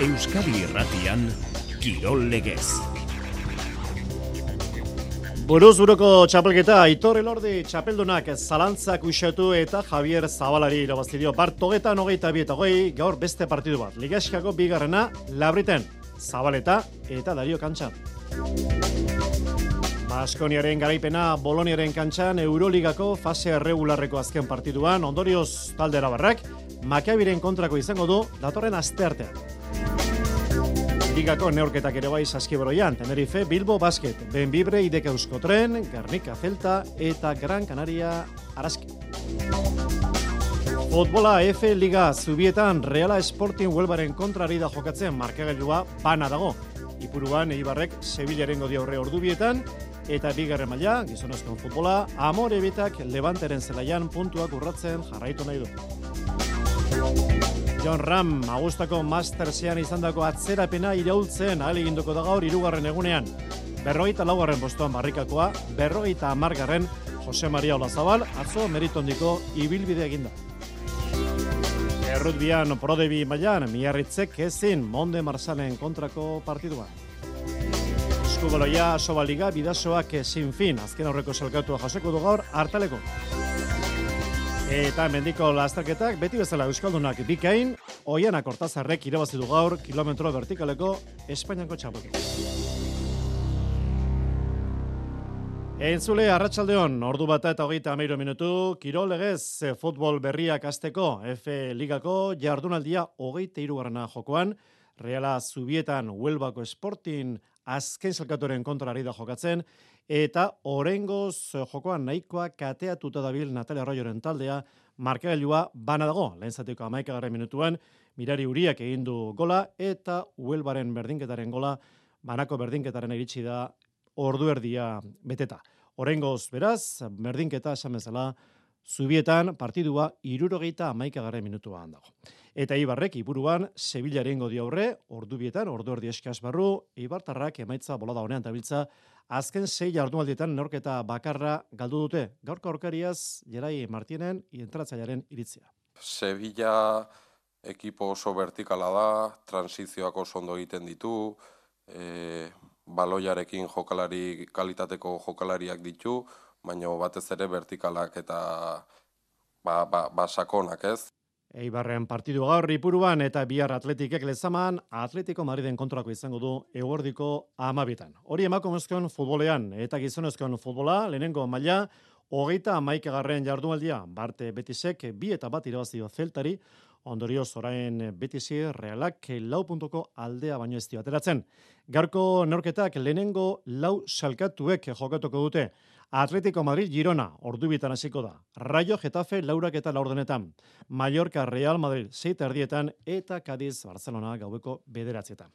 Euskadi Irratian, Kirol Legez. Buruz-buruko txapelketa, Aitor Elordi txapeldunak zalantzak uxatu eta Javier Zabalari irabaztidio. Bartogetan 22-20, gaur beste partidu bat. Ligaskako bigarrena, Labriten, Zabaleta eta Dario Kantxan. Baskoniaren garaipena Boloniaren kantxan Euroligako fase erregularreko azken partiduan, ondorioz talde arabarrak, Makabiren kontrako izango du datorren asteartean. Ligako neurketak ere bai Saskibroian, Tenerife, Bilbo Basket, Benvibre, IDK Euskotren, Gernika Celta eta Gran Canaria Araski. Futbola F Liga Zubietan Reala Sporting Huelvaren kontrari da jokatzen markagailua bana dago. Ipuruan Eibarrek Sevillaren godi aurre ordubietan eta bigarren maila, gizonezkoen futbola, Amorebitak Levanteren zelaian puntuak urratzen jarraitu nahi du. John Ram, Agustako Mastersean izandako atzerapena iraultzen ahaleginduko da gaur 3. egunean. 44. postuan barrikakoa, 50. Jose Maria Olazabal, atzo meritondiko ibilbide eginda. Errutbian Prodebi mailan, Miarritzek ezin Monde Marsalen kontrako partidua. Eskubaloia Asobaliga bidasoak ezin fin, azken aurreko salkatua jasoko du gaur hartaleko. Eta mendiko lasterketak, beti bezala euskaldunak bikain, Oianak Hortazarrek irabazi du gaur kilometro vertikaleko Espainiako txapelketa. Entzule, arratsaldeon, ordu bata eta 30 minutu, Kirol Legez futbol berriak hasteko F Ligako jardunaldia 23. jokoan, Reala Zubietan Huelvako Sporting azken salkatuaren kontrari da jokatzen, eta oraingoz jokoan nahikoa kateatuta dabil Natalia Arroyoren taldea, markagailua bana dago, lehen zateko 11. minutuan, Mirari Uriak egin du gola, eta Huelvaren berdinketaren gola, banako berdinketaren iritsi da orduerdia beteta. Oraingoz beraz, berdinketa esan bezala, Zubietan partidua 71. minutuan dago. Eta Ibarrek ipuruan Sevillaren godi aurre, ordubietan, orduerdi eskas barru, Ibartarrak emaitza bolada honean tabiltza, azken 6 jardunaldietan neurketa bakarra galdu dute. Gaurko aurkariaz, Gerai Martinen entratzailearen iritzia. Sevilla ekipo oso vertikala da, transizioak oso ondo egiten ditu, baloiarekin jokalari kalitateko jokalariak ditu, baina batez ere vertikalak eta sakonak, ez? Eibarren partidu gaur ipuruan eta bihar Atletikek lezaman, Atletico Madriden kontrako izango du eguerdiko 12. Hori emakumezkoen futbolean eta gizonezkoen futbola, lehenengo maila, 31. jardunaldia, Barte Betisek 2-1 irabazi dio Celtari, ondorioz orain Betisi Realak 4 puntuko aldea baino ez dio ateratzen. Gaurko neurketak lehenengo 4 salkatuek jokatuko dute. Atletico Madrid Girona, ordubietan hasiko da. Rayo Getafe 4:04, Mallorca Real Madrid 6:30 eta Cadiz Barcelona gaueko 9:00.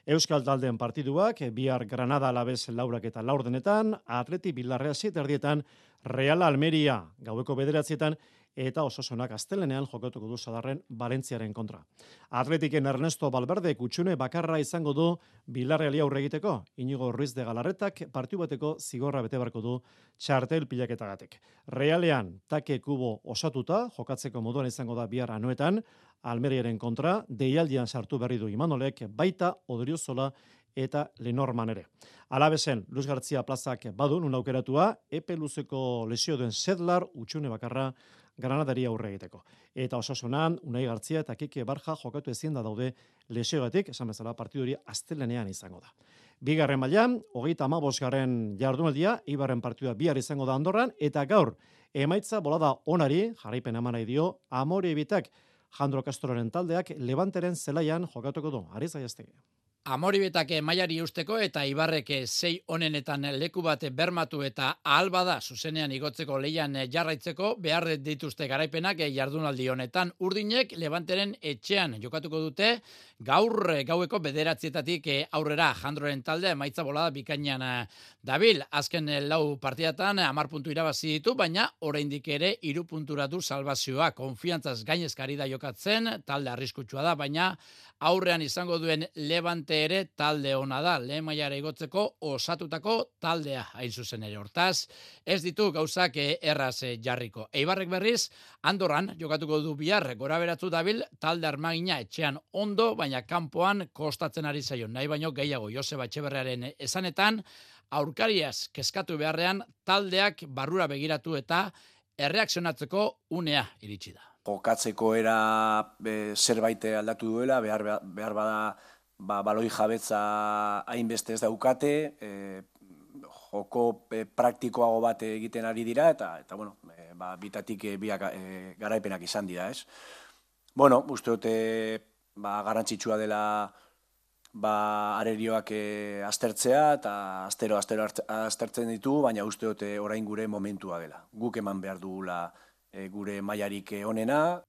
Euskal taldeen partiduak bihar Granada Alaves 4:04, Atleti Villarreal 7:30, Real Almeria gaueko 9:00 eta Osasunak astelenean jokatuko du Sadarren Valentziaren kontra. Atletiken Ernesto Valverde kutsune bakarra izango du Villarreali aurre egiteko. Inigo Ruiz de Galarretak partidu bateko zigorra bete beharko du txartel pilaketagatik. Realean Take Kubo osatuta jokatzeko moduan izango da bihar Anoetan, Almeriaren kontra deialdian sartu berri du Imanolek, baita Odriozola eta Lenorman ere. Alabesen, Luis Gartzia plazak badun un aukeratua, epe luzeko lesio duen Sedlar utxune bakarra Granadari aurre egiteko. Eta Osasunan, Unai Gartzia eta Kike Barja jokatu ezin da daude lesiogatik, esan bezala partiduri astelenean izango da. Bigarren mailan, 35. jardunaldia, Eibarren partidua bihar izango da Andorran, eta gaur, emaitza bolada onari, jarraipen eman nahi dio, Amorebitak, Jandro Castroren taldeak Levanteren zelaian jokatuko du. Ariz Gaiastegi. Amoribetak mailari eusteko eta Ibarrek 6 honenetan leku bat bermatu eta ahal bada zuzenean igotzeko leian jarraitzeko behar dituzte garaipenak jardunaldi honetan. Urdinek Levanteren etxean jokatuko dute gaur gaueko 9:00 aurrera Jandroren taldea emaitza bolada bikainan dabil. Azken 4 partidatan 10 puntu irabazi ditu, baina oraindik ere 3 puntura du salbazioa. Konfiantzaz gainezkari da jokatzen, talde arriskutsua da, baina aurrean izango duen Levante Levante ere talde ona da, lehen mailara igotzeko osatutako taldea hain zuzen ere. Hortaz, ez ditu gauzak erraz jarriko. Eibarrek berriz, Andorran jokatuko du bihar, gora beratzu dabil, talde armagina etxean ondo, baina kanpoan kostatzen ari zaio. Nahi baino gehiago Joseba Etxeberriaren esanetan, aurkariaz kezkatu beharrean taldeak barrura begiratu eta erreakzionatzeko unea iritsi da. Jokatzeko era zerbait aldatu duela, behar bada baloi jabetza hainbeste ez daukate, joko praktikoago bat egiten ari dira, eta bueno, bitatik biak garaipenak izan dira, ez? Bueno, uste dute garrantzitsua dela arerioak aztertzea, eta astero aztertzen ditu, baina uste dute orain gure momentua dela. Guk eman behar dugula gure mailarik onena.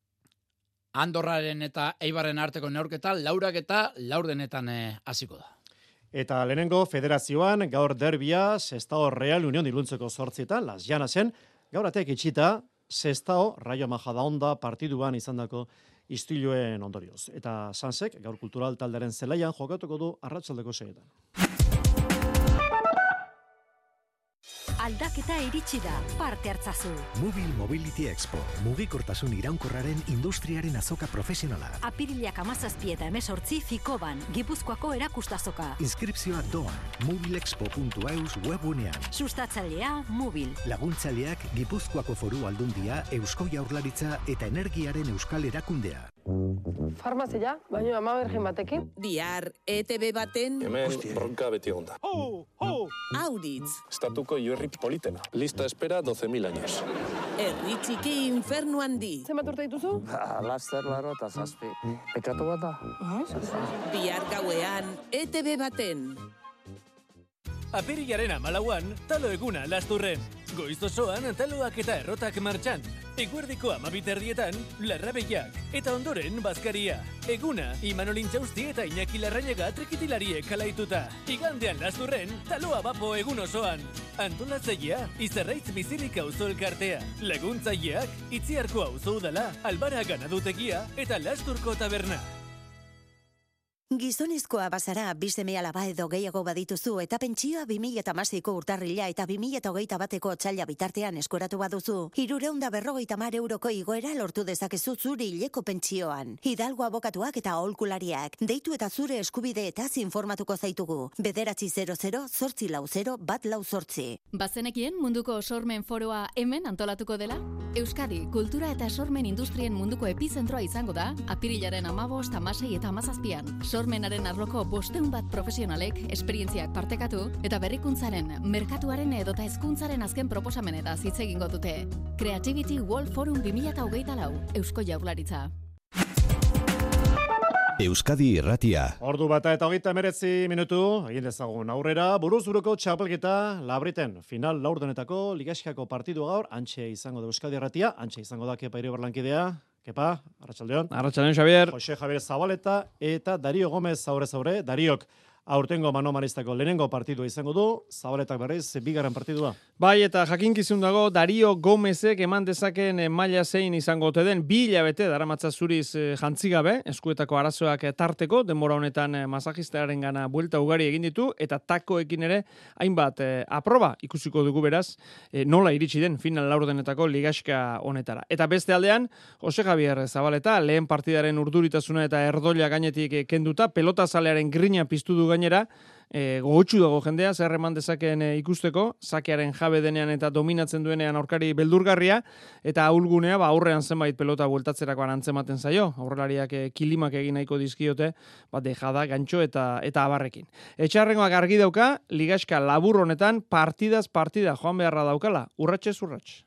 Andorraren eta Eibarren arteko neurketa, laurak eta laurdenetan hasiko da. Eta lehenengo federazioan gaur derbia Sestao Real Unión iluntzeko 8:00 Las Llanasen, gaur ateak itxita Sestao Rayo Majadahonda partiduan izandako istiluen ondorioz. Eta Sansek gaur kultural taldearen zelaian jokatuko du arratsaldeko 6:00. Aldaketa iritsi da, parte hartzazu. Mobil Mobility Expo, mugikortasun iraunkorraren industriaren azoka profesionala. Apirilak 17 eta 18 Fikoban, Gipuzkoako erakustazoka. Inskripzioa doan, mobilexpo.eus webunean. Sustatzailea, Mobil. Laguntzaileak Gipuzkoako Foru Aldundia, Eusko Jaurlaritza eta Energiaren Euskal Erakundea. Farmazia, baino ama bergen batekin. Bihar, ETB baten... Hemen bronka beti egonda. Auritz. Estatuko Iorri politena. Lista espera 12.000 años. Herri txiki infernu handi. Zenbat urte dituzu? Laster, laro eta zazpi. Pekatu bat da? Bihar gauean, ETB baten. Apirilaren 14an, talo eguna Lasturren. Goiz osoan taloak eta errotak martxan. Eguerdiko 12:00 Larrabeiak eta ondoren Bazkaria. Eguna, Imanol Intxausti eta Iñaki Larrañaga trikitilariek alaituta. Igandean Lasturren, taloa bapo egun osoan. Antolatzailea, Izarraitz Bizirik auzo elkartea. Laguntzaileak, Itziarko auzo udala, Albara ganadutegia eta Lasturko taberna. Gizonezkoa bazara, bi seme-alaba edo gehiago badituzu eta pentsioa 2016ko urtarrila eta 2021ko otsaila bitartean eskuratu baduzu, 350 euroko igoera lortu dezakezu zure hileko pentsioan. Hidalgo abokatuak eta aholkulariak, deitu eta zure eskubideetaz informatuko zaitugu. 900-840-148. Bazenekien munduko sormen foroa hemen antolatuko dela? Euskadi, kultura eta sormen industrien munduko epizentroa izango da, apirilaren 15, 16 eta 17an. Sormenaren arloko 500 bat profesionalek esperientziak partekatu eta berrikuntzaren, merkatuaren edota hezkuntzaren azken proposamenetaz hitz egingo dute. Creativity World Forum 2024, Eusko Jaurlaritza. Euskadi Irratia. Ordu bata eta 39 minutu, egin dezagun aurrera, buruz-buruko txapelketa Labriten. Final laurdenetako ligaskako partidu gaur, antxe izango da Euskadi Irratia, antxe izango da Kepa Iribarlankidea. Kepa, arratsaldeon. Arratsaldeon, Xavier. Jose Javier Zabaleta eta Dario Gomez aurrez-aurre. Dariok aurtengo manomanistako lehenengo partidua izango du, Zabaletak berriz, bigarren partidua. Bai, eta jakinkizun dago, Dario Gomezek eman dezaken maila zein izango ote den, 2 hilabete daramatza zuriz jantzigabe, eskuetako arazoak tarteko, denbora honetan masajistaren gana buelta ugari egin ditu, eta takoekin ere, hainbat aproba ikusiko dugu beraz, nola iritsi den final laurdenetako ligaxka honetara. Eta beste aldean, Jose Javier Zabaleta, lehen partidaren urduritasuna eta erdoila gainetik kenduta, pelotazalearen grina piztu du gainera, gogotsu dago jendea, zer eman dezakeen ikusteko, sakearen jabe denean eta dominatzen duenean aurkari beldurgarria, eta ahulgunea aurrean zenbait pelota bueltatzerakoan antzematen zaio, aurrelariak kilimak egin nahiko dizkiote, dejada, gantxo eta abarrekin. Etxarrengoak argi dauka, ligaxka labur honetan partidaz partida joan beharra daukala, urratxez urratx.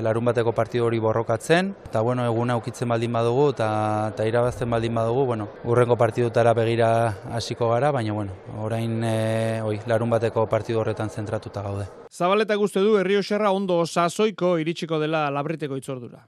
Larun bateko partidu hori borrokatzen, eta eguna ukitzen baldin badugu, eta irabazten baldin badugu, urrengo partidutara begira hasiko gara, baina orain larun bateko partidu horretan zentratuta gaude. Zabaleta uste du Errioxarra ondo sasoiko iritsiko dela Labriteko itzordura.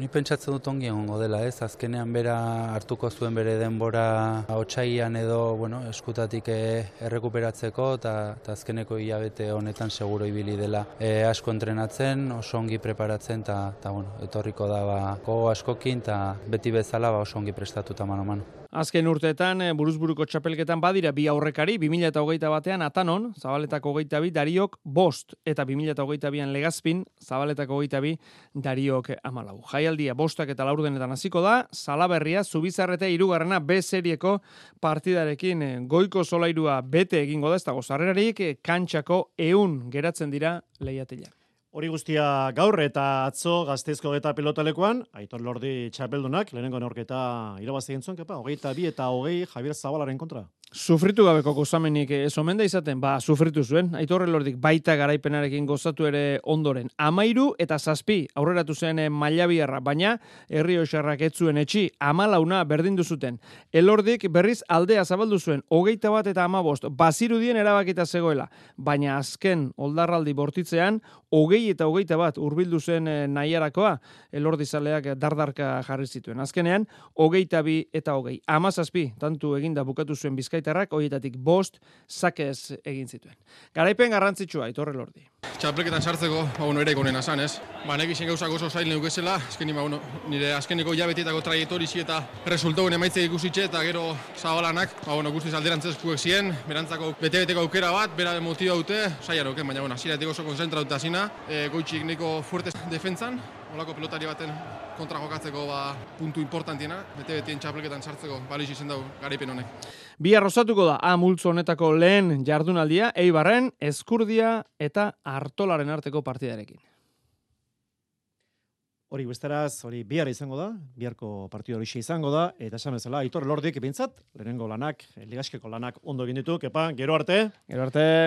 Ni pentsatzen dut ongi egongo dela, ez? Azkenean bera hartuko zuen bere denbora otsailean edo, eskutatik errekuperatzeko eta azkeneko hilabete honetan seguro ibili dela asko entrenatzen, oso ongi preparatzen eta etorriko da gogo askokin eta beti bezala oso ongi prestatuta mano-mano. Azken urteetan, buruzburuko txapelketan badira bi aurrekari, 2021 Atanon, Zabaletako 22, Dariok 5, eta 2022an Legazpin, Zabaletako 22, Dariok 14. Jaialdia 5 eta 4 hasiko da, Salaberria, Zubizarreta 3. B serieko partidarekin goiko solairua bete egingo da, ez dago sarrerarik, kantxako 100 geratzen dira lehiatilak. Hori guztia gaur eta atzo Gasteizko eta pilotalekuan, Aitor Lordi txapeldunak, lehenengo neurketa irabazi gintzuen, 22 eta 20 Javier Zabalaren kontra. Sufritu gabeko gozamenik ez omen da izaten, sufritu zuen. Aitor Lordik baita garaipenarekin gozatu ere ondoren. 13 eta 7 aurreratu zen Mailabiarra, baina Errioxarrak ez zuen etxi, 14 berdindu zuten. Elordik berriz aldea zabaldu zuen, 21 eta 15, bazirudien erabakita zegoela, baina azken oldarraldi bortitzean, 20 eta 21 hurbildu zen nahiarakoa, Elordizaleak dardarka jarri zituen. Azkenean, 22 eta 20. 17 tantu eginda bukatu zuen Bizkaitarrak, horietatik 5 sakez egin zituen. Garaipen garrantzitsua, Aitor Elordi. Txapelketan sartzeko, ere ikonen asan, ez? Nekizien gauzak oso zail neukesela, nire azkeneko jabetietako traiektorizi eta resultauen emaitzek ikusitxe eta gero Zabalanak, guztiz alderantzeskuek ziren, berantzako bete-beteko aukera bat, bera motiba dute, zaian baina hasieratik oso konzentratuta zina, goitxik niko fuertes defentzan, olako pelotari baten kontra jokatzeko puntu importantiena, bete-betien txapelketan sartzeko baliz izen dugu garaipen honek. Bihar osatuko da multzo honetako lehen jardunaldia, Eibarren, Ezkurdia eta Artolaren arteko partidarekin. Hori besteraz, hori bihar izango da, biharko partidu hori izango da, eta esan bezala, Aitor Lordik bintzat, lehenengo lanak, ligaskeko lanak ondo egin ditu, gero arte.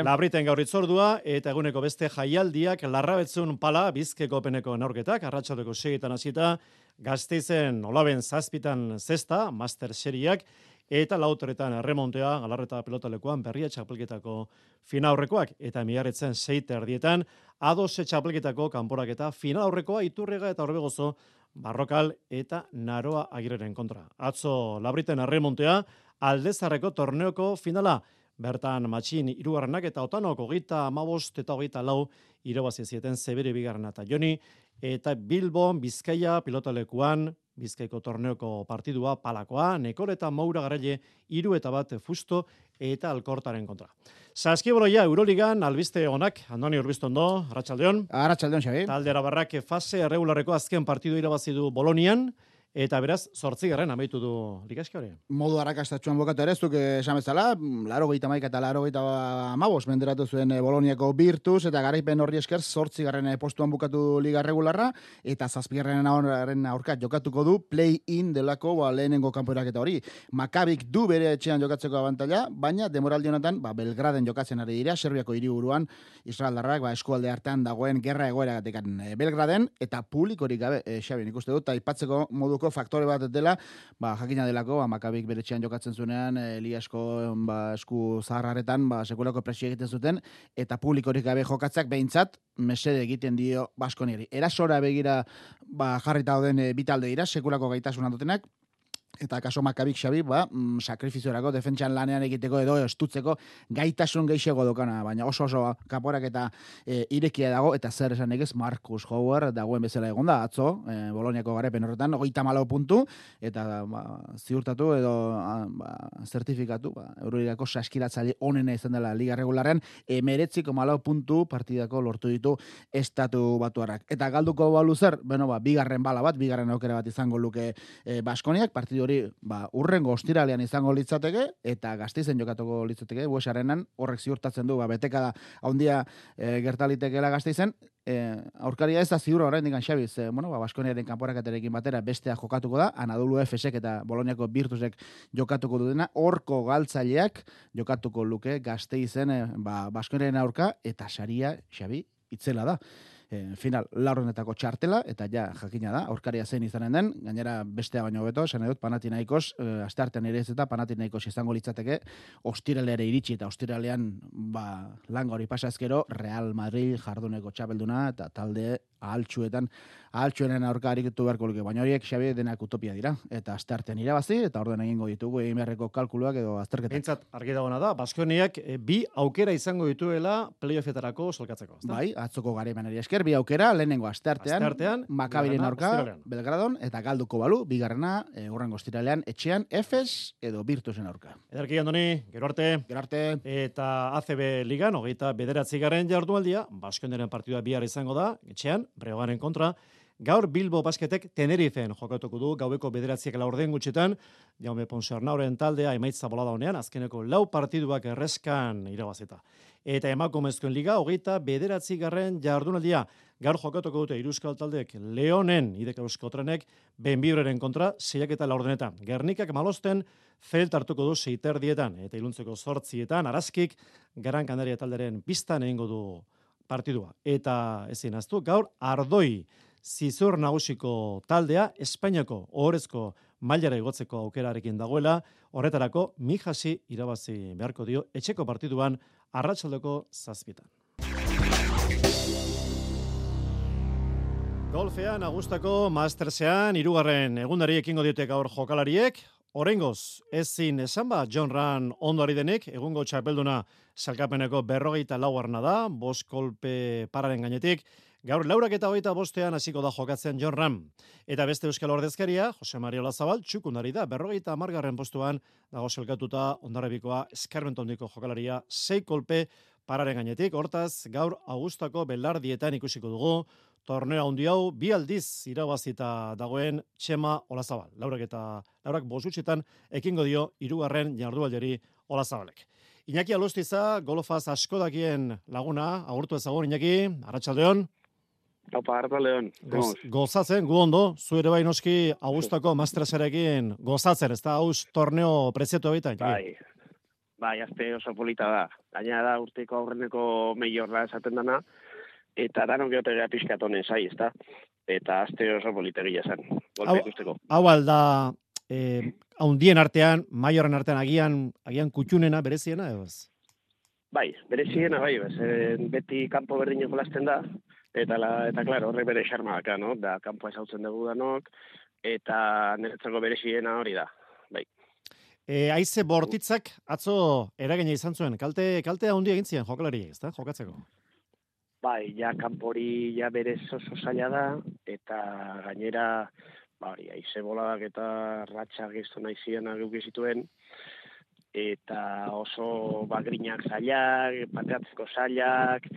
Labriten gaur itzordua, eta eguneko beste jaialdiak, Larrabetzun pala, Bizkeko peneko neurketak, arratsaldeko 6etan hasita, Gasteizen olaben 7 zesta, master seriak, eta 4etan erremontea, Galarreta pilotalekuan berria txapelketako finaurrekoak, eta miarritzen 6:30 A2 txapelketako kanporaketa finalaurrekoa Iturriaga eta Orbegozo, Barrokal eta Naroa Agirreren kontra. Atzo Labriten erremontea, Aldezarreko torneoko finala, bertan Matxin 3. eta Otanok 35 eta 24 irabazi zieten Zebere 2. eta Joni, eta Bilbon Bizkaia pilotalekuan Bizkaiko torneoko partidua palakoa, Nekor eta Moura Garaile 3 eta 1 Fusto eta Alkortaren kontra. Saskiboloia Euroligan albiste onak, Andoni Urbistondo, Arratsaldeon. Arratsaldeon, Xabi. Talde Arabarrak fase erregularreko azken partidu irabazi du Bolonian, eta beraz, 8. amaitu du ligaxka hori. Modu arrakastatxuan bokatu ere, zuk esan bezala, 81 eta 85 menderatu zuen Boloniako Virtus, eta garaipen horri esker 8. postuan bukatu liga regularra, eta 7. aurka jokatuko du play-in delako lehenengo kanporaketa hori. Makabik du bere etxean jokatzeko abantaila, baina demoraldi honetan Belgraden jokatzen ari dira, Serbiako hiriburuan Israeldarrak eskualde hartan dagoen gerra egoeragatik Belgraden, eta publikorik gabe, Xabi, nik uste dut, aipatzeko moduko faktore bat dela, jakina delako, Makabik bere etxean jokatzen zuenean, Eliasko esku zaharraretan, sekulako presio egiten zuten, eta publikorik gabe jokatzak behintzat, mesede egiten dio Baskoniari. Erasora begira jarrita dauden bitalde dira, sekulako gaitasuna dutenak, eta kaso Makabik Xabi, sakrifiziorako defentsan lanean egiteko edo estutzeko gaitasun gehiago dokana, baina oso kaporak eta irekia dago, eta zer esan egez Marcus Howard dagoen bezala egonda, atzo, Boloniako garaipen horretan, 34 puntu, eta ziurtatu edo zertifikatu, Euroligako saskiratzaile onena izan dela liga regularen, 19,4 puntu partidako lortu ditu estatu batuarrak. Eta galduko balu zer, bigarren bala bat, bigarren aukera bat izango luke Baskoniak, partidu hori urrengo ostiralean izango litzateke, eta Gasteizen jokatuko litzateke, Buesarenan horrek ziurtatzen du, betekada handia gertalitekela Gasteizen, aurkaria ez da ziur oraindik Xabi, Baskoniaren kanporaketarekin batera bestea jokatuko da, Anadolu Efesek eta Boloniako Virtusek jokatuko dutena, horko galtzaileak jokatuko luke Gasteizen Baskoniaren aurka, eta saria, Xabi, itzela da. Final, laurrenetako txartela, eta jakina da, aurkaria zein izanen den, gainera bestea baino beto, esan edut, Panathinaikos, asteartean ere ez eta Panathinaikos izango litzateke, ostiralera iritsi, eta ostiralean, langa hori pasazkero, Real Madrid jarduneko txapelduna, eta talde ahaltsuenen aurka arikitu beharko luke, baina horiek Xabi denak utopia dira, eta asteartean irabazi, eta orden egingo ditugu egin beharreko kalkuluak edo azterketak. Bentsat, argi dagoena da, Baskoniak 2 aukera izango dituela playoffetarako solkatzeko. Bai, atzoko garaipenari esker, esker, bi aukera, lehenengo Asteartean, Makabiren aurka, ostiralean. Belgradon, eta galduko balu, bigarrena, hurrengo ostiralean, etxean, Efes edo Virtusen aurka. Ederki, Andoni, gero arte. Eta ACB Ligan, 29. jardunaldia, Baskoniaren partidua bihar izango da, etxean, Breogaren kontra. Gaur Bilbo Basketek Tenerifen jokatuko du, gaueko 9:04 gutxitan, Jaume Ponsarnauren taldea emaitza bolada honean, azkeneko 4 partiduak erreskan irabazita. Eta emakumezkoen liga, 29. jardunaldia, gaur jokatuko dute Iruzkal taldeek Leonen, Idek Euskotrenek, Benbibreren kontra, 6:04. Gernikak Malosten, Felt hartuko du 6:30, eta iluntzeko 8:00, Araskik, Gran Canaria talderen pistan egingo du partidua. Eta ezin aztu, gaur Ardoi Zizur nagusiko taldea Espainiako ohorezko mailara igotzeko aukerarekin dagoela, horretarako Mijasi irabazi beharko dio etxeko partiduan arratsaldeko 7:00. Golfean Agustako Mastersean 3. egundari ekingo diote gaur jokalariek. Oraingoz, ezin esan John Ram ondo ari denik, egungo txapelduna salkapeneko 44 da, 5 kolpe pararen gainetik. Gaur 4:25 hasiko da jokatzen John Ram. Eta beste euskal ordezkaria, Jose Maria Olazabal, txukundari da, 50. postuan dago selkatuta Hondarribikoa eskarmentondiko jokalaria 6 kolpe pararen gainetik. Hortaz, gaur Augustako belardietan ikusiko dugu, torneo handi hau 2 aldiz irabazita dagoen Txema Olazabal. Laurak 5 ekingo dio 3. jardualdiari Olazabalek. Iñaki Alustiza, golfaz asko dakien laguna, agurtu ezagun Iñaki, arratsaldeon. Opa, arratsaldeon. Gozatzen, gu ondo, zu ere bai noski Augustako Masterserekin gozatzen, ez da hauz torneo prezietu baita? Bai, azte oso polita da. Gaina da urteko aurreneko meiorra esaten dana, eta danok geotegea pixkatonen zai, ez da? Eta azte oso polita gila zen, golpe ikusteko. Hau alda, haundien artean, maiorren artean agian kutxunena, bereziena, edo ez? Bai, bereziena, bai, beti kanpo berdino jolasten da, eta klaro, horrek bere xarma daka, no? Da, kanpoa ezautzen dugu danok, eta niretzako bereziena hori da, bai. Aize bortitzak atzo eragina izan zuen, kalte handi egin ziren jokalari, ez da, jokatzeko? Bai, ja kanpori ja berez oso zaila da, eta gainera, hori, aize boladak eta ratxak iztu nahi zirenak eukizituen, eta oso bagrinak zailak, pateatzeko zailak,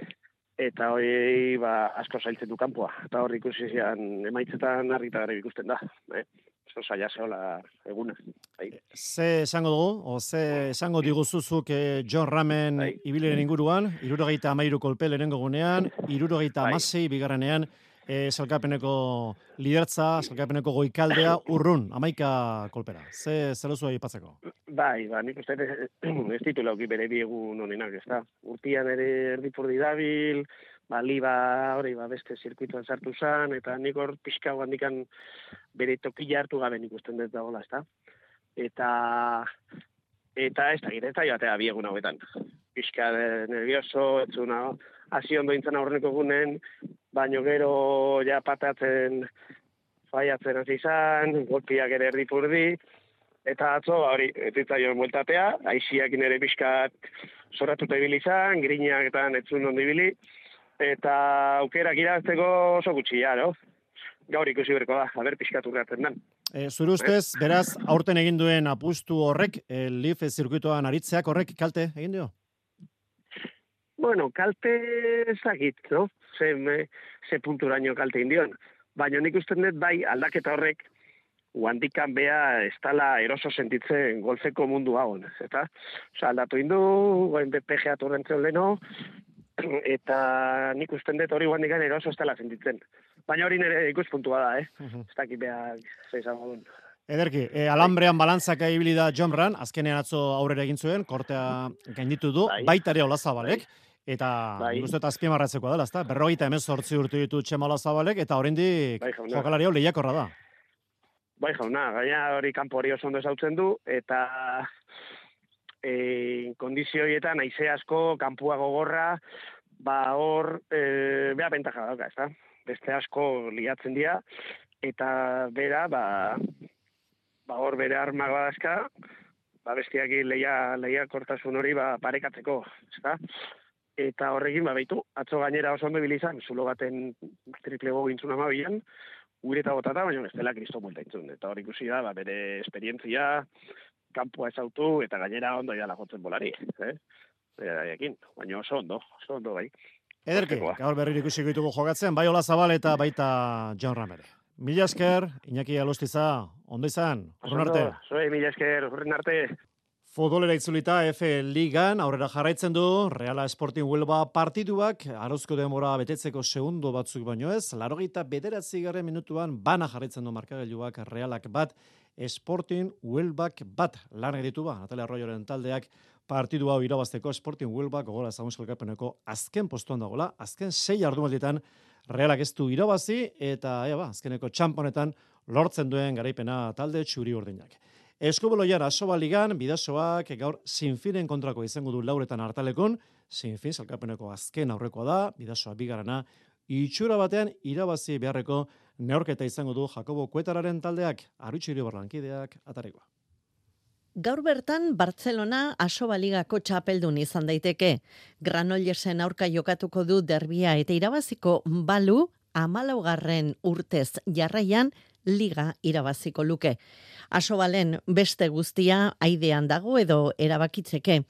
eta hori asko zailtzen du kanpoa. Eta hori ikusi zian emaitzetan argita gara ikusten da. Oso zaila zehola eguna. Ze esango dugu, o ze esango diguzuzuk John Ramen ibiliren inguruan, 73 kolpe lehenengo gunean, 76 bigarrenean, salkapeneko lidertza, salkapeneko goikaldea, urrun, 11 kolpera. Ze duzu aipatzeko? Bai, nik uste ez ditu lauki bere biegun honenak, ez da. Urtian ere erdipurdi dabil, liba hori beste zirkuituan sartu zen, eta nik hor pixka handikan bere tokila hartu gabe nik usten dut dagoela, ez da. Eta ez da gira, ez da joatea biegun hauetan. Pixka nervioso, etzuna, hasi ondo intzen aurreneko gunen, baino gero ja patatzen faiatzen hasi izan, golpiak ere erdipurdi, eta atzo, hori, etzitzaion bueltatea, aixiak ere pixkat zoratuta ibili izan, griñaketan etzun ondo ibili, eta aukerak irazteko oso gutxi, no? Gaur ikusi berko da, haber pixkat urratzen den. Zure ustez, beraz, aurten egin duen apustu horrek, Leaf zirkuitoan aritzeak horrek kalte egin dio? Bueno, kalte ezagit, no? Ze punturaino kalte indion. Baina nik usten dut bai aldaketa horrek guandikan bea ez tala eroso sentitzen golfeko mundu hauen, eta aldatu indu, goen PGA torrentzen leno, eta nik usten dut hori guandikan eroso ez tala sentitzen. Baina hori nire ikuspuntua da, ez dakit beha zeizan modun. Ederki, alambrean balantzaka ibili da John Ram, azkenean atzo aurrera egin zuen, kortea gainditu du, baitare Olazabalek, eta nik uste azpimarratzekoa dela, ezta? 58 urte ditu Txema Olazabalek, eta oraindik jokalari hau lehiakorra da. Bai jauna, gaina hori kanpo hori oso ondo ezautzen du, eta kondizioietan aize asko, kanpua gogorra, hor, beha bentaja dauka, ezta? Beste asko liatzen dira, eta bera, hor bere armak badazka, bestiak lehiakortasun hori parekatzeko, ezta? eta horrekin, baitu, atzo gainera oso ondo bilizan, zulo baten triple go gintzun amabian, gure eta botata, baina ez dela kristo multa intzun. Eta hor ikusi da, bere esperientzia, kanpoa ezautu, eta gainera ondo idala jotzen bolari. Baina oso ondo bai. Ederki, gaur berriro ikusiko ditugu jokatzen, bai Ola Zabal eta baita Jon Ramere. Mila esker, Iñaki Alostiza, ondo izan, urrun arte. Mila esker, urrun arte. Futbolera itzulita F Ligan aurrera jarraitzen du, Reala Sporting Huelva partiduak, arozko denbora betetzeko segundo batzuk baino ez, 89. minutuan bana jarraitzen du markagailuak Realak bat, Sporting Huelvak bat, lan editu ba, Natalia Arroyoren taldeak partidu hau irabazteko Sporting Huelva gogola ezagun sailkapeneko azken postuan dagoela, azken 6 jardunalditan Realak ez du irabazi eta azkeneko txamponetan lortzen duen garaipena talde txuri urdinak. Eskubaloian Asoba Ligan Bidasoak gaur Sinfinen kontrako izango du lauretan hartalekon, Sinfin sailkapeneko azken aurrekoa da, Bidasoa bigarrena, itxura batean irabazi beharreko neorketa izango du Jakobo Kuetararen taldeak, Arutxiri Barlankideak atarikoa. Gaur bertan Bartzelona Asoba Ligako txapeldun izan daiteke. Granollesen aurka jokatuko du derbia eta irabaziko balu 14. urtez jarraian Liga irabaziko luke. Asobalen beste guztia aidean dago edo erabakitzeke.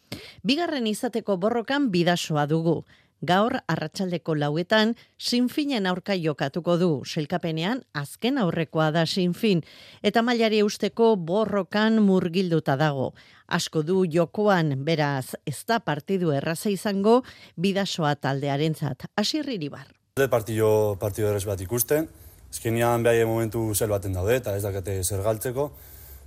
Bigarren izateko borrokan Bidasoa dugu. Gaur arratsaldeko 4 Sinfinen aurka jokatuko du. Sailkapenean azken aurrekoa da Sinfin eta mailari eusteko borrokan murgilduta dago. Asko du jokoan, beraz, ez da partidu erraza izango Bidasoa taldearentzat. Asier Iribar. Partido erraz bat ikusten. Azkenean behaiek momentu zel baten daude eta ez dakate zer galtzeko.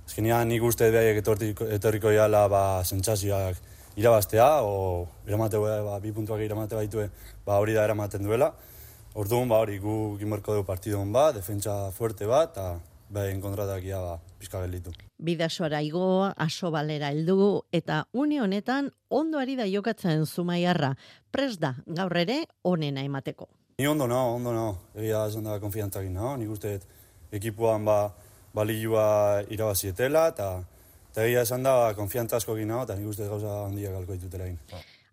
Azkenean nik uste behaiek etorriko jala sentsazioak irabaztea, o eramateko 2 puntuak iramate baitue, hori da eramaten duela. Orduan, hori gu gimorko dugu partidon bat, defentsa fuerte bat, eta behaiek kontratak pizka gelditu. Bidasoara igo, Asobalera heldu eta une honetan ondo ari da jokatzen Zumaiarra. Prest da, gaur ere onena emateko. Ni ondo nao. Egia esan da konfiantzak nao. Nik uste ekipuan balioa irabazietela, eta egia esan da konfiantza asko nao, eta nik uste gauza handiak galko ditutela egin.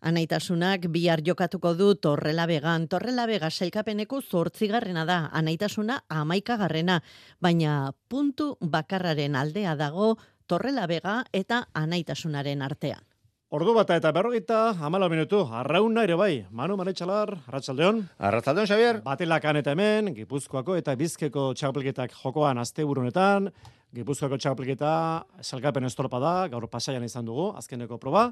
Anaitasunak bihar jokatuko du Torrelabegan. Torrelabega sailkapeneko 8. da, Anaitasuna 11. baina puntu bakarraren aldea dago Torrelabega eta Anaitasunaren artean. Ordu bata eta 54 minutu, arrauna ere bai. Manu Manetxalar, arratsaldeon. Arratsaldeon, Xavier. Batelakan eta hemen, Gipuzkoako eta Bizkaiko txapelketak jokoan asteburunetan. Gipuzkoako txapelketa salkapen estropa da, gaur Pasaian izan dugu, azkeneko proba.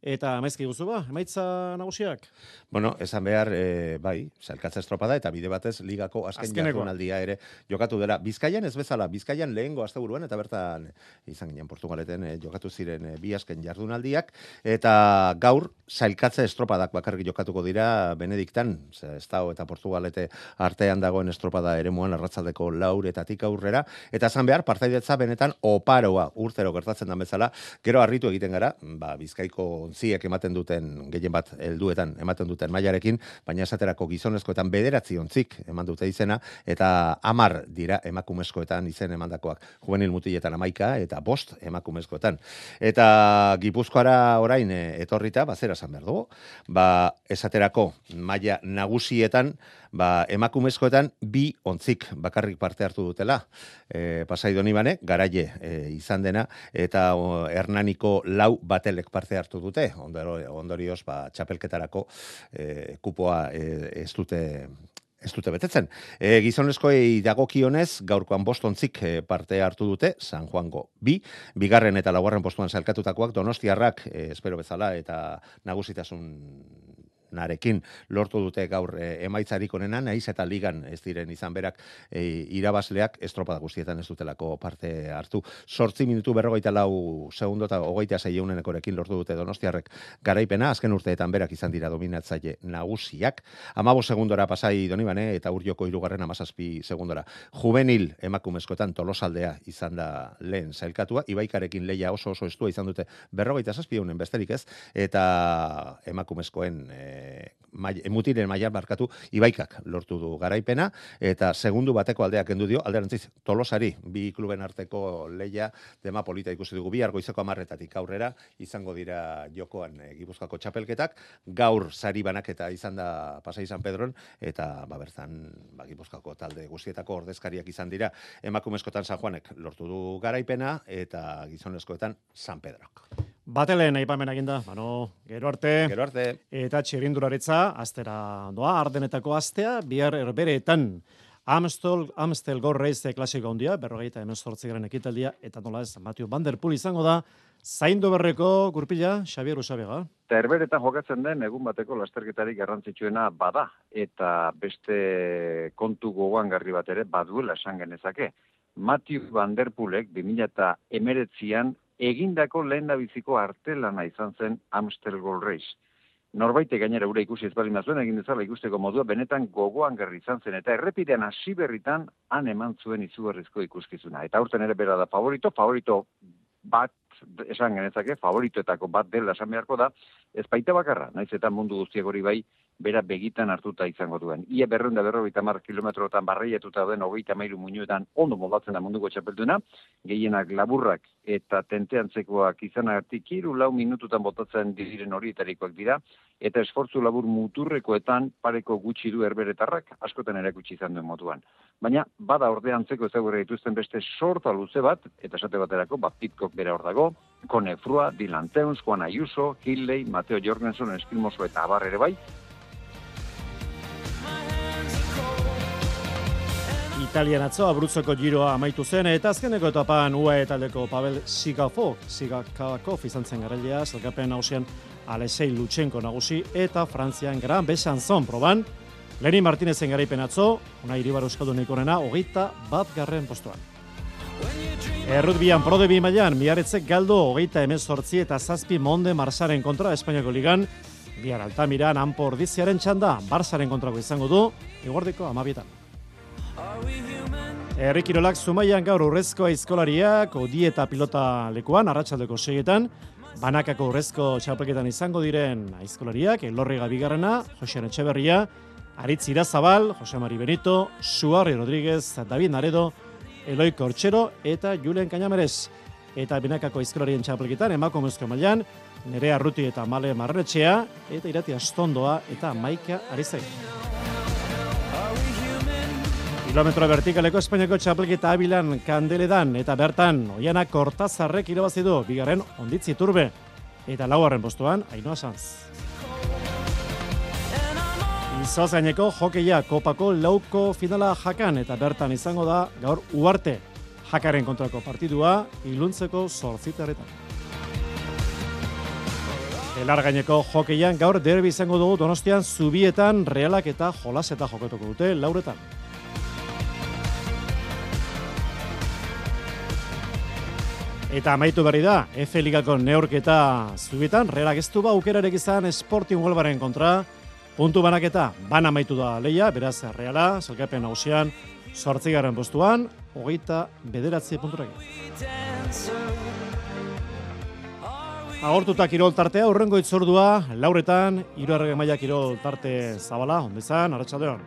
Eta amaizki guzu emaitza nagusiak? Bueno, esan behar, bai, sailkatza estropada eta bide batez ligako azken jardunaldia ere jokatu dela. Bizkaian ez bezala, Bizkaian lehengo asteburuan eta bertan izan ginen Portugaleten jokatu ziren bi azken jardunaldiak eta gaur sailkatza estropadak bakarrik jokatuko dira Benediktan, Estao eta Portugalete artean dagoen estropada eremuan arratsaldeko 4 aurrera eta esan behar partaidetza benetan oparoa urtero gertatzen da bezala, gero harritu egiten gara, Bizkaiko ontziek ematen duten gehien bat helduetan ematen duten mailarekin, baina esaterako gizonezkoetan 9 ontzik eman dute izena eta 10 dira emakumezkoetan izen emandakoak. Juvenil mutiletan 11 eta 5 emakumezkoetan. Eta Gipuzkoara orain etorrita bazera esan behar dugu. Esaterako maila nagusietan emakumezkoetan 2 ontzik bakarrik parte hartu dutela. Pasai Donibane, Garaile izan dena, eta Hernaniko 4 batelek parte hartu dute. Ondorioz, txapelketarako kupoa ez dute betetzen. Gizonezkoei dagokionez, gaurkoan 5 ontzik parte hartu dute, San Juango 2, bigarren eta 4. postuan sailkatutakoak Donostiarrak, espero bezala, eta nagusitasun lortu dute gaur emaitzarik onena, naiz eta ligan ez diren izan berak irabazleak estropada guztietan ez dutelako parte hartu. 8 minutu 44 segundo eta 26 lortu dute Donostiarrek garaipena, azken urteetan berak izan dira dominatzaile nagusiak. 15 segundora Pasai Donibane eta Urrioko 3. 17 segundora. Juvenil emakumezkoetan Tolosaldea izan da lehen sailkatua, Ibaikarekin leia oso estua izan dute 47 besterik ez, eta emakumezkoen mutilen mailan barkatu Ibaikak lortu du garaipena eta segundu bateko aldeak kendu dio alderantziz Tolosari bi kluben arteko leia dema polita ikusi dugu bihar goizeko 10:00 aurrera izango dira jokoan Gipuzkoako txapelketak gaur sari banaketa izan da Pasai San Pedron eta bertan Gipuzkoako talde guztietako ordezkariak izan dira emakumezkoetan San Juanek lortu du garaipena eta gizonezkoetan San Pedrok. Batelen aipamen eginda, gero arte. Gero arte. Eta txirrindularitza astera doa, Ardenetako astea, bihar erbereetan Amstel Gold Race klasiko handia, 48. ekitaldia, eta nola ez, Matthew Van Der Poel izango da, zaindu berreko gurpila, Xabier Usabega. Eta erberetan jokatzen den egun bateko lasterketarik garrantzitsuena bada, eta beste kontu gogoangarri bat ere baduela esan genezake. Matthew Van Der Poelek 2019an egindako lehendabiziko artelana izan zen Amstel Gold Race. Norbaite gainera ura ikusi ez bali mazuen egin dezala ikusteko modua benetan gogoangarri izan zen eta errepidean hasi berritan han eman zuen izugarrizko ikuskizuna. Eta aurten ere bera da favorito bat esan genezake, favoritoetako bat dela esan beharko da, ez baita bakarra, naiz eta mundu guztiak hori bai, bera begitan hartuta izango duen. Ia 250 kilometrotan barreietuta den 33 muinuetan ondo moldatzen da munduko txapelduna, gehienak laburrak eta tenteantzekoak izanagatik 3-4 minututan botatzen diren horietarikoak dira, eta esfortzu labur muturrekoetan pareko gutxi du erberetarrak, askotan erakutsi izan duen moduan. Baina, bada orde antzeko ezagurra dituzten beste sorta luze bat, eta esate baterako, Pitcock bera hor dago, Cone Frua, Dylan Teuns, Juan Ayuso, Hilley, Mateo Jorgensen, Eskilmoso eta abar ere bai. Italian atzo Abruzzoko giroa amaitu zen, eta azkeneko etapan UAE taldeko Pavel Sigakov izan zen garailea, zelkapen nagusian Alexei Lutsenko nagusi, eta Frantzian Gran Besanzon proban, Lenin Martinezen garaipen atzo, Unai Iribar Euskaldunik onena, 21. postuan. Errutbian Pro de bi mailan, Miaretzek galdo 28 eta 7 Monde Marsaren kontra Espainiako ligan, bihar Altamiran Anpo Ordiziaren txanda, Barsaren kontrako izango du, eguerdiko 12. Herri Kirolak Zumaian gaur urrezko aizkolariak, odi eta pilota lekuan, arratsaldeko 6etan, banakako urrezko txapelketan izango diren aizkolariak, Elorriga bigarrena, Josean Etxeberria, Aritz Irazabal, Jose Mari Benito, Suarri Rodríguez, David Naredo, Eloi Kortxero eta Julen Cañameres. Eta binakako aizkolarien txapelketan, emakumezko mailan, Nerea Ruti eta Male Marretxea, eta Irati Astondoa eta Maika Arizai. Kilometro vertikaleko Espainiako txapelketa Abilan Kandeledan eta bertan Oiana Kortazarrek irabazi du bigarren Onditzi Turbe eta 4. postuan Ainhoa Sanz. Izozaineko hokeia Kopako lauko finala Jakan eta bertan izango da gaur Uarte Jakaren kontrako partidua iluntzeko 8:00. Belargaineko hokeian gaur derbi izango dugu Donostian Zubietan Realak eta Jolaseta jokatuko dute 4:00. Eta amaitu berri da, F Ligako neurketa Zubietan, Realak ez du aukerarik izan Sporting Huelvaren kontra, puntu banaketa, amaitu da leia, beraz Reala, zelkapen nagusian, 8. postuan, 29 punturekin. Agortuta kirol tartea, hurrengo itzordua, 4:00, 3. maila kirol tarte zabala, ondizan, arratsaldeon.